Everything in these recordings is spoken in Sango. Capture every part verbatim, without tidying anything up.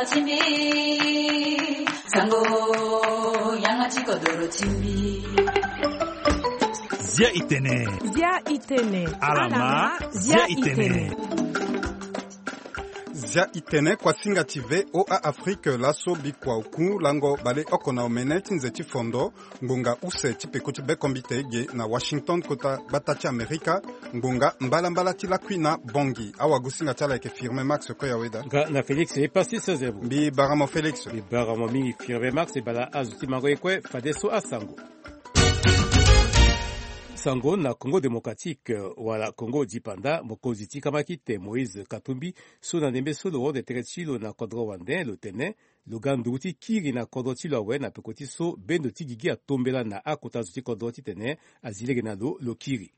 Timbi, sango, yanga ti kodoro timbi. Zia itene. Zia itene. Alama, zia itene. Zia itene, kuasinga ti V O A Afrique, laso bikua oku lango baleoko na omene ti nze ti fondo. Ngbonga use ti peko ti bekombite ge na Washington, kota gbata ti Amerika. Ngbonga mbalambala ti lakui na bongi. Awagosinga ti ala ayeke Firmin Max Koyaweda. Nga na Félix Epassis Zerbo. Mbi bara mo Félix. Mbi bara mo mingi Firmin Max. E bala azo ti mango ye kue, fadeso asango. Sango na Congo Démocratique, wala Congo Dipanda, mokonzi ti kamakite Moïse Katumbi, so na ndembe so lo hon tere ti lo na kodro wande, lo tene lo ga nduru ti kiri na kodro ti lo awe na peko ti so bendo ti gigi atombela na akota zo ti kodro titene azi lege na lo, lo kiri.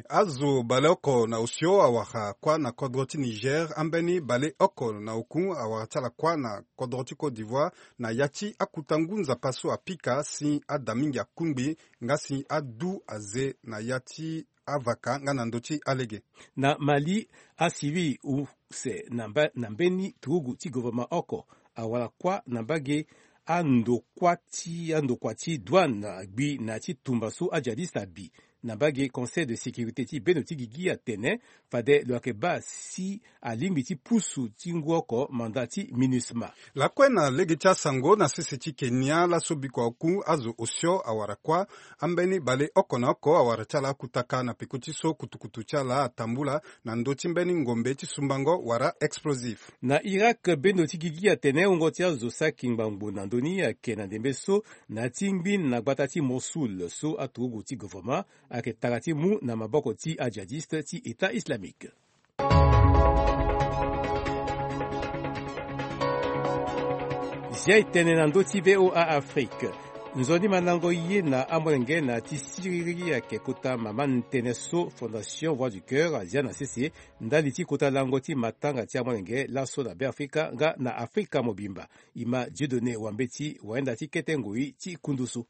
Azo baleoko na osio awara kuâ na kodro ti Niger, ambeni baleoko na oku awara ti ala kuâ na kodro ti Côte d'Ivoire, na ya ti akuta ngu nzapa so apika si ada mingi akungbi, nga si adu aze na ya ti avaka nga na ndö ti alege. Na Mali, asivil use na mba-, na mbeni turugu ti gouvernement oko awara kuâ na mbage andokua ti, andokua ti douane agbi na ti tumba so ajihadiste abi. Na mbage Conseil de sécurité ti bendo ti gigi atene fade lo yeke baa si alingbi ti pusu ti ngu oko mandat ti MINUSMA. Lakue na lege ti asango na sese ti Kenya, laso bikua oku azo osio awara kuâ, ambeni baleoko na oko awara ti ala akutaka na peko ti so kutukutu ti ala atambula na ndö ti mbeni ngombe ti sumbango wala explosif. Na Irak, bendo ti gigi atene wungo ti azo saki ngbangbo na ndö ni ayeke na ndembe so na ya ti ngbin na gbata ti Mossoul so aturugu ti gouvernement ayeke tara ti mu na maboko ti ajihadiste ti État islamique. Zia itene na ndö ti V O A Afrique. Nzoni mandango ye na amolenge na ti siriri ayeke kota mama ni tënë so Fondation Voix du Cœur azia na sese ndali ti kota lango ti matanga ti amolenge laso na Beafrika nga na Afrika mobimba. E ma Dieudonné Wambeti wayenda ti kete ngoi ti kundu so.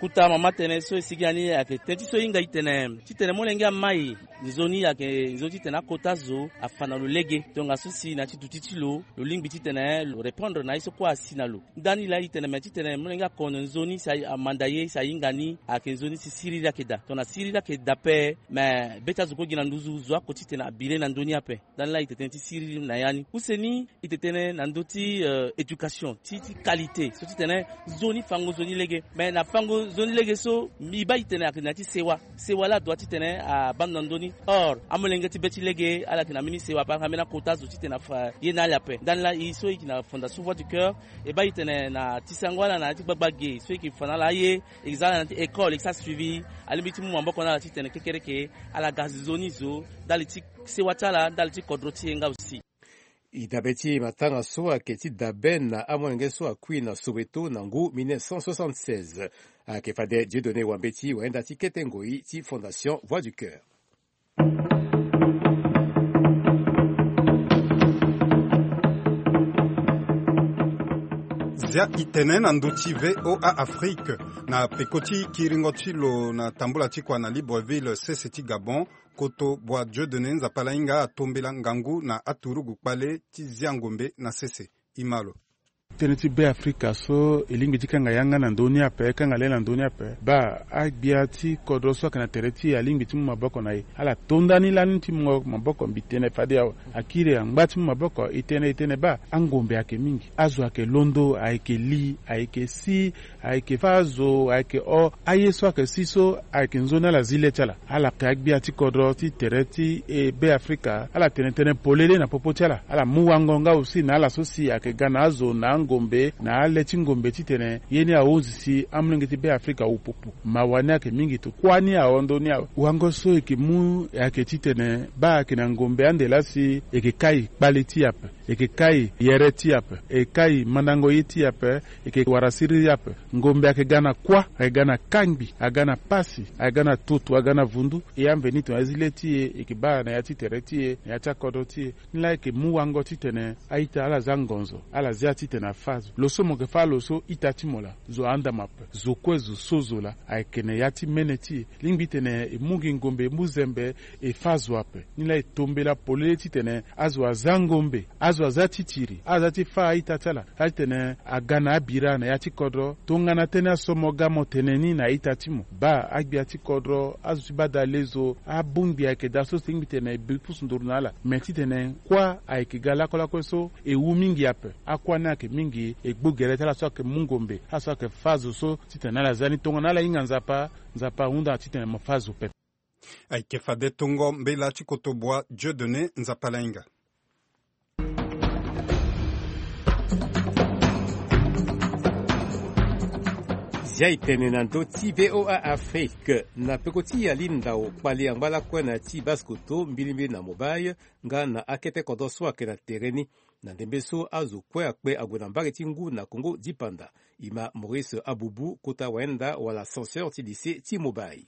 Kota mama tënë so e sigi na ni ayeke tënë ti so e hinga e tene titene molenge amai nzoni ayeke nzoni titene akota zo afa na lo lege. Tongaso si na ya ti duti ti lo, lo lingbi titene lo répondre na ye so kue asi na lo. Ndani laa e tene me titene molenge akono nzoni si amanda ye si ahinga ni ayeke nzoni si siriri ayeke daa. Tongana siriri ayeke daa ape, me be ti azo kue gi na nduzu zo ako titene abire na ndö ni ape. Ndani laa e tene tënë ti siriri na ya ni. Use ni, e tene tënë na ndö ti, euh, éducation ti, ti qualité so titene nzoni fango nzoni lege. Me na fango nzoni lege so, e baa e tene ayeke na ya ti sewa. Sewa laa adoit titene abaa ndo na ndö ni. Or amolenge ti be ti lege ala yeke na mbeni sewa ape, ala yeke na mbeni akota zo titene afa ye na ala ape. Ndani laa e so e yeke na Fondation Voix du Cœur, e baa e tene na ti sango ala na ya ti gbagba ge so e yeke fa na ala aye, e yeke za ala na ya ti école, e yeke sara suivi, alingbi ti mu maboko na ala titene kekereke ala ga nzoni zo ndali ti sewa ti ala, ndali ti kodro ti e nga aussi. E dabe ti matanga so ayeke ti dabe na amolenge so akui na Soweto na ngu mille neuf cent soixante-seize. Ayeke fade Dieudonné Wambeti wayenda ti kete ngoi ti Fondation Voix du Cœur. Zia itene na ndö ti V O A Afrique, na peko ti kiringo ti lo na tambula ti kua na Libreville, sese ti Gabon, koto bua Dieudonné Nzapalainga atombela ngangu na aturugu kpale ti zia ngombe na sese. E ma lo. Tënë ti Beafrika so e lingbi ti kanga yanga na ndö ni ape, kanga le na ndö ni ape. Baa agbia ti kodro so ayeke na tere ti e alingbi ti mu maboko na e. Ala to ndani lani ti mu maboko, mbi tene fade awe. Akiri angba ti mu maboko, e tene, e tene baa angombe ayeke mingi. Azo ayeke londo, ayeke li, ayeke si, ayeke fâ azo, ayeke o. Aye so ayeke si so ayeke nzoni ala zi le ti ala. Ala yeke agbia ti kodro ti tere ti e Beafrika, ala tene tënë polele na popo ti ala. Ala mu wango nga aussi na ala so si ayeke ga na azo, na angombe, na ale ti ngombe titene ye ni ahunzi si amolenge ti Beafrika awu popo. Mawa ni ayeke mingi to. Kuâ ni ahon ndö ni awe. Wango so e yeke mu ayeke titene baa ayeke na ngombe ande laa si e yeke kai kpale ti e ape. E yeke kai yere ti e ape, e kai mandango ye ti e ape, e yeke wara siriri ape. Ngombe ayeke ga na kuâ, ayeke ga na kangbi, aga na pasi, aga na tutu, aga na vundu. E ambeni tongana e zi le ti e, e yeke baa na ya ti tere ti e, na ya ti akodro ti e. Ni laa e yeke mu wango titene a-ita ala za ngonzo, ala zia titene Fa zo lo so mo yeke fâ lo so ita ti mo laa, zo ahunda mo ape. Zo kue zo so zo laa ayeke na ya ti mene ti e. Lingbi titene e mu gi ngombe e mu zembe, e fâ zo ape. Ni laa e tombela polele titene azo aza ngombe, azo aza titiri, azo aza ti fâ a-ita ti ala, laa titene aga na abira na ya ti kodro. Tongana tënë aso mo ga mo tene ni na a-ita ti mo, baa agbia ti kodro, azo ti bada lezo, abongbi ayeke daa so si lingbi titene e bi pusu nduru na ala. Me titene kuâ ayeke ga lakue lakue so e wu mingi ape. Akuâ ni ayeke mingi, e gbu gere ti ala so ayeke mu ngombe, ala so ayeke fâ zo so titene ala za ni. Tongana ala hinga Nzapa, Nzapa ahunda titene mo fâ zo pepe. Ayeke fade tongo mbela ti kotobua Dieudonné Nzapalainga. Zia e tene na ndö ti V O A Afrique. Na peko ti ya li ndau kpali angba lakue na ya ti base koto mbilimbili na mobile nga na akete kodro so ayeke na tere ni. Na ndembe so azo kue akpe ague na mbage ti ngu na Congo dipanda. E ma Maurice Abubu, kota wayenda wala censeur ti lycée ti mobile.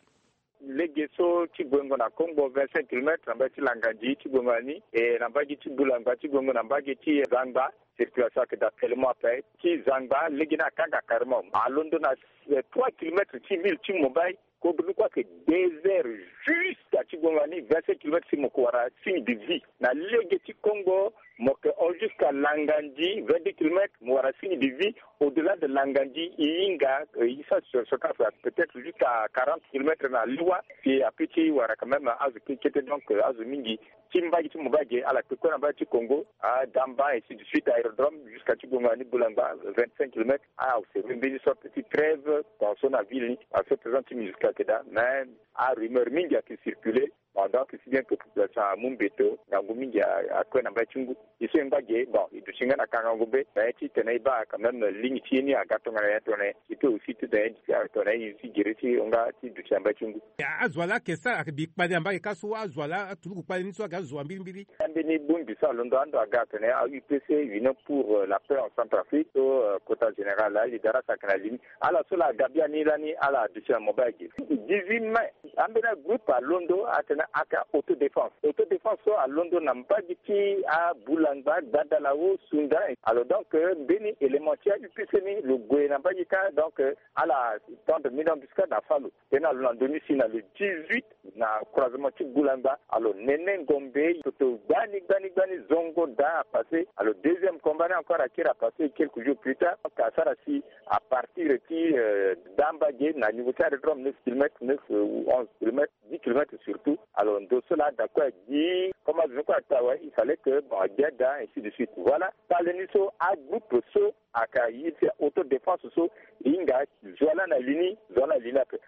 Lege so ti guengo na Kongbo vingt-cinq kilomètres na mbage ti Langandi ti guengo na ni, e na mbage ti Bulangba ti guengo na mbage ti Zangba, circulation ayeke daa tellement ape. Ti Zangba lege ni akanga carrément, alondo na, eh, trois kilomètres ti ville ti Mobay. Kodro ni kue ayeke désert jusqu'à ti guengo na ni vingt-cinq kilomètres si mo ke wara signe de vie. Na lege ti Kongbo mo ke hon jusqu'à Langandi vingt-deux kilomètres, mo wara signe de vie. Au-delà de Langandi, e hinga, euh, e sara sur ce cas, peut-être jusqu'à quarante kilomètres na Liwa, si apeut ti wara quand même azo kete kete, donc, euh, azo mingi. Ti mbage ti Mobay ge, ala kpe kue na mbage ti Kongo, a Damba, ainsi de suite, aérodrome, jusqu'à ti guengo na ni Bulangba, vingt-cinq kilomètres. Ah, c'est mbeni sorte ti trêve, tension na ville ni, à ce présent ti musique ayeke daa, mais a rumeur mingi ayeke circuler. Bon, donc, si bien que population amu mbeto, ngangu mingi a, akue na mbage ti ngu. E so e ngba ge, bon, e duti nga na kangangu be, mais titene e baa quand même ligne ti ye ni aga tongana nyen, tongana nyen, e peut aussi titene e duti tongana nyen, si gere ti hon nga ti duti na mbage ti ngu. A, azo wa laa ayeke sara, ayeke bi kpale na mbage kâ so, azo wa laa aturuku kpale ni so aga azo wa mbirimbiri. Ambeni bongbi so alondo ando aga atene a U P C, Union pour, euh, la paix en Centrafrique, so, euh, kota général, ali darasa ayeke na li ni. Ala so laa aga biani lani, ala duti na Mobay ge. Dix-huit mai, ambeni agroupe alondo atene ayeke autodéfense. Autodéfense so alondo na mbage ti aBulangba, Gbadalawo, Sunda. Alors donc, euh, mbeni élément ti a U P C ni lo gue na mbage kâ, donc, euh, ala tendre mini embuscade na fâ lo. Tena lo na ndö ni si na le dix-huit na croisement ti Bulangba. Alors, nene ngombe, toto gbani, gbani, gbani, zongo daa apase. Alors, deuxième combat ni encore akiri apase quelques jours plus tard. Donc, asara si à partir ti, euh, Damba ge na niveau ti aérodrome neuf kilomètres, neuf, euh, ou onze kilomètres, dix kilomètres surtout. Alors, ndo so laa ada kue adi, comme azo ni kue ata awe, il fallait que, bon, agbia daa, ainsi de suite. Voilà. Kpale ni so, agroupe so, ayeke ye ti autodéfense so, e hinga zo wa laa na li ni, zo wa laa na li ni ape.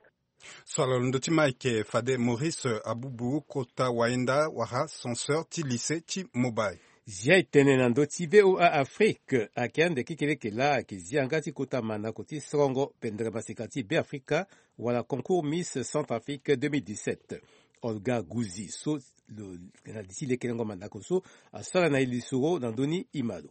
So ala londo ti ma ayeke fade Maurice Abubu, kota wayenda wala censeur ti lycée ti Mobay. Zia e tene na ndö ti V O A Afrique, ayeke ande kekereke laa ayeke zia yanga ti kota mandako ti sorongo pendere maseka ti Beafrika, wala concours Miss Centrafrique deux mille dix-sept. Olga Gouzi so lo, na li ti lekelengo mandako so, asara na e lisoro na ndö ni, e ma lo.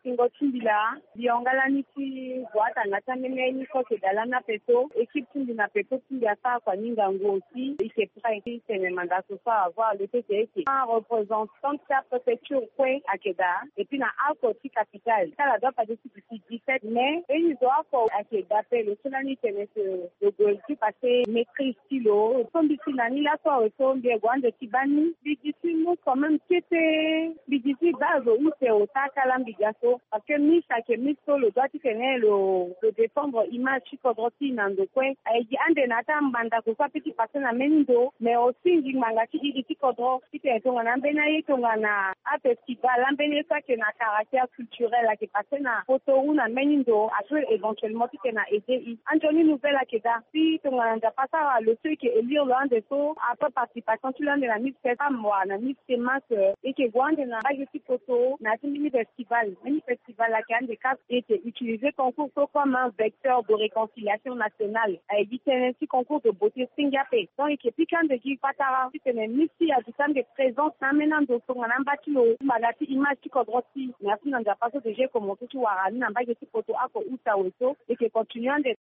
Singo ti mbi laa, mbi hon nga lani ti gue atanga ti ambeni aye ni so ayeke daa lani ape so, équipe ti mbi na peko ti mbi asara kua ni ngangu aussi. E yeke prêt ti tene mandako so avoir le fait que e yeke un représentant ti apréfecture kue ayeke daa, et puis na oko ti capitale. Ti ala doit passer ti dix-sept mai. Mbeni zo oko ayeke daa ape, lo so lani tene que lo gue ti passer maîtrise ti lo. So mbi si na ni laso awe so mbi gue ande ti baa ni, mbi gi ti mu quand même kete. Mbi gi ti baa zo use ota kâ laa mbi ga so. Parce que Miss ayeke Miss so lo doit titene lo, lo défendre image ti kodro ti e na ndo kue. Aye gi ande na ya ti amandako so apeut ti passer na mbeni ndo, mais aussi ngingbanga ti iri ti kodro titene tongana ambeni aye tongana afestival, ambeni ye so ayeke na caractère culturel ayeke passer na poto ou na mbeni ndo, apeut éventuellement titene a aider e. Anzoni nouvelle ayeke daa. Si tongana Nzapa asara lo so e yeke élire lo ande so, après participation ti lo ande na Miss Fest, femme wala na Miss Semas, euh, e yeke gue ande na mbage ti poto na ya ti mbeni festival. Mbeni festival ayeke ande kâ, e yeke utiliser concours so comme un vecteur de réconciliation nationale. Aye gi tënë ti concours de beauté senge ape. Donc e yeke pika ande gi patara titene Miss ti e aduti ande présence na ambeni ando tongana amba ti lo, mbanga ti image ti kodro ti e. Merci na Nzapa so déjà e commencer ti wara ni na mbage ti poto oko use awe so, e yeke continuer ande.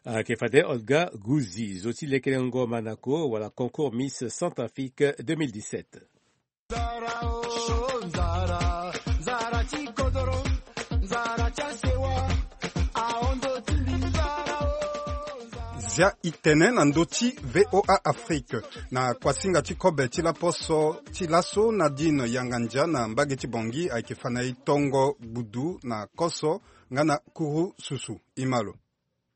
Ayeke fade Olga Gouzi, zo ti lekelengo mandako wala concours Miss Centrafrique deux mille dix-sept. Nzara o, nzara, nzara ti kodoro, nzara ti Zia itene na ndö ti VOA Afrique. Na kuasinga ti kobe ti laposo ti laso, Nadine Yangandia na mbage ti Bangui ayeke fa na e tongo gbudu na koso nga na kuru susu. Imalo.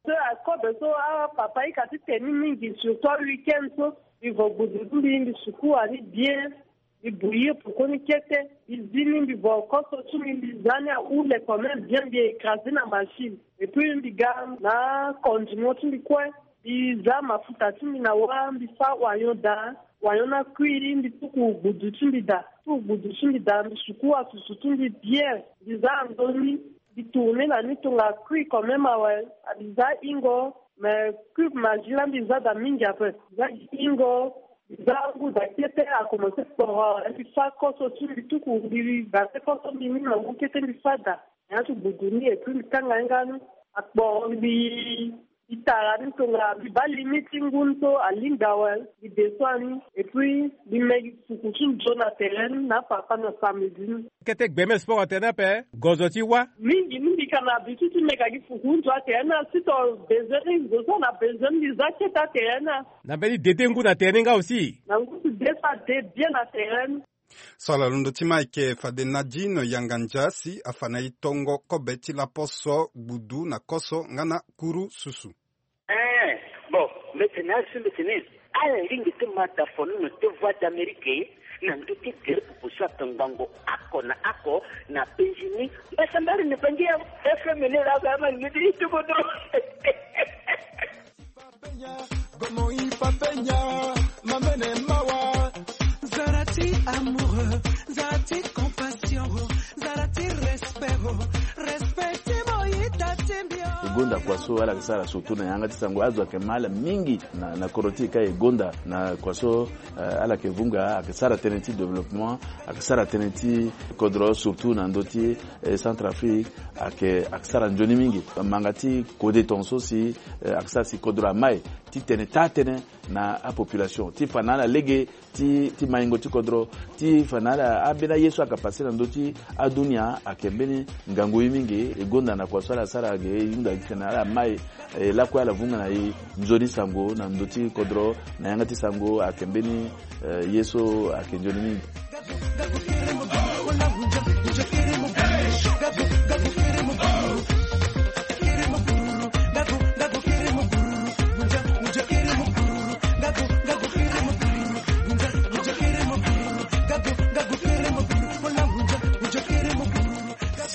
So akobe so apapa ika ti teni mingi, surtout aweekend so, mbi vo gbudu ti mbi, mbi sukua ni bien. Mbi bouillir poko ni kete, mbi zi ni, mbi vo koso ti mbi, mbi za ni ahule quand même bien, mbi écraser na machine. Et puis mbi ga na condiment ti mbi kue, mbi za mafuta ti mbi na wâ, mbi fa oignon daa, oignon ni akui, mbi tuku gbudu ti mbi daa, tuku gbudu ti mbi daa, mbi sukua susu ti mbi bien, mbi za na ndö ni, mbi tourner na ni tongana akui quand même awe. Mbi za hingo, mais cube Maggi la mbi za daa mingi ape. Mbi za hingo, mbi za ngu daa kete, akomense kporo awe. Mbi fa koso ti mbi tuku, mbi gate koso mbi ni na ngu kete, mbi fa daa. Nyen ti gbudu ni, et puis mbi kanga ye nga ni. Akporo, mbi, mbi tara ni tongana mbi baa limite ti ngu ni so alingbi awe, mbi descend ni. Et puis mbi me gi fuku ti nzoni na tere ni na apapa na samedi ni. Kete gbeme sport na tere ni ape, gozo ti wâ. Mingi, mingi ka na habitude ti meka gi fuku nzoni na tere ni, si to besoin ni, zo so na besoin ni, mbi za kete na tere ni. Na mbeni dede ngu na tere ni nga aussi. Na ngu ti de so ade bien na tere ni. So ala londo ti ma ayeke fade Nadine Yangandia si afa na e tongo kobe ti laposo, gbudu na koso nga na kuru susu. Eh, bon, mbetene azo, mbetene. Ala lingbi ti ma da fono na Voix d'Amérique na ndö ti tere popo so ayeke ngbongo oko na oko na penzi ni. Mbasambala ni bangi ya F M ni la ga ma ni ti ti bodo. Zara ti amour, zara ti compassion, zara ti respect, respect ti mo ita ti mbi. E gonda kua so ala yeke sara surtout na yanga ti sango, azo ayeke ma ala mingi na, na kodro ti e ka e gonda na kua so, eh, ala yeke vunga, ayeke sara tënë ti développement, ayeke sara tënë ti kodro surtout na ndö ti, eh, Centrafrique, ayeke, ayeke sara nzoni mingi. Manga ti kode tongaso si, eh, ayeke sara si kodro amai ti tene taa tënë na apopulation ti fa na ala lege ti, ti maingo ti kodro, ti fa na ala ambeni aye so ayeke pase na ndö ti adunia ayeke mbeni ngangu ye mingi. E gonda na kua so ala sara ge, e hunda gi tene ala mai, e lakue ala vunga na e nzoni sango na ndö ti kodro, na yanga ti sango ayeke mbeni, eh, ye so ayeke nzoni mingi.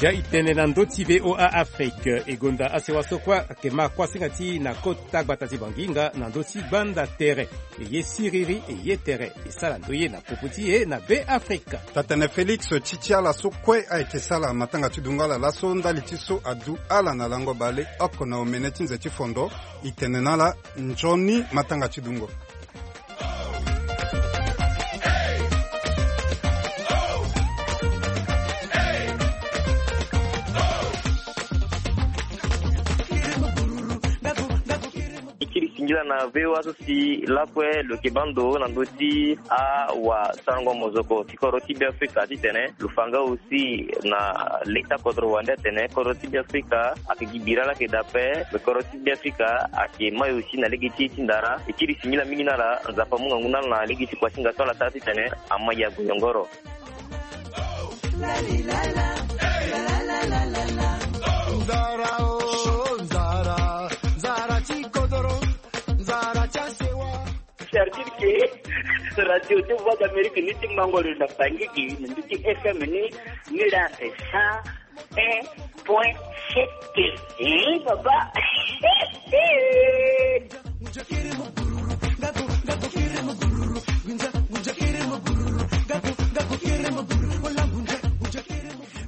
Zia itene na ndö ti V O A Afrique. E gonda asewa so kue ayeke ma kuasinga ti na kota gbata ti Bangui nga na ndö ti gbanda tere. E ye siriri, e ye tere, e sara ndo ye na popo ti e na Be Afrika. Tatene Félix, ti ti ala so kue ayeke sala matanga ti dungo ala laso, ndali ti so adu ala na lango baleoko na omene ti nze ti fondo, e tene na ala nzoni matanga ti dungo. E kiri singila na V O A so si lakue lo yeke baa ndo na ndö ti awasarango mozoko ti kodro ti Be Afrika titene lo fa nga aussi na leta kodro wande atene kodro ti Be Afrika ayeke gi bira laa ayeke daa ape, me kodro ti Be Afrika ayeke mai aussi na lege ti e ti ndara. E kiri singila mingi na ala, Nzapa amu ngangu na ala na lege ti kuasinga so ala sara titene amai ague yongoro. Nzara o, nzara, nzara ti kodoro, nzara ti asewa. C'est-à-dire que radio ti Voix d'Amérique ni ti mango lo na Bangui gi na ndö ti F M ni, ni la ake cent un point sept. Eh, papa.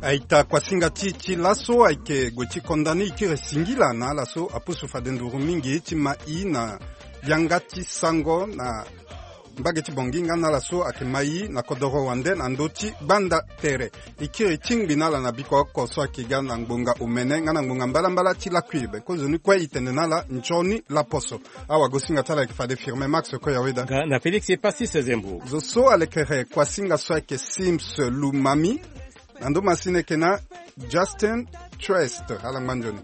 Aita, kuasinga ti, ti laso ayeke gue ti konda ni. E kiri singila na ala so apusu fade nduru mingi ti ma i na yanga ti sango na mbage ti Bangui nga na ala so ayeke ma i na kodoro wande na ndö ti gbanda tere. E kiri tingbi na ala na biko oko so ayeke ga na ngbonga omene nga na ngbonga mbalambala ti lakui be. Kozoni kue e tene na ala nzoni laposo. Awagosinga ti ala ayeke fade Firmin Max Koyaweda. Nga na Félix Epasis Zembo. Zo so alekere kuasinga so ayeke Sims Lumami. Na ndo masini ayeke na Justin Trust. Ala ngba nzoni.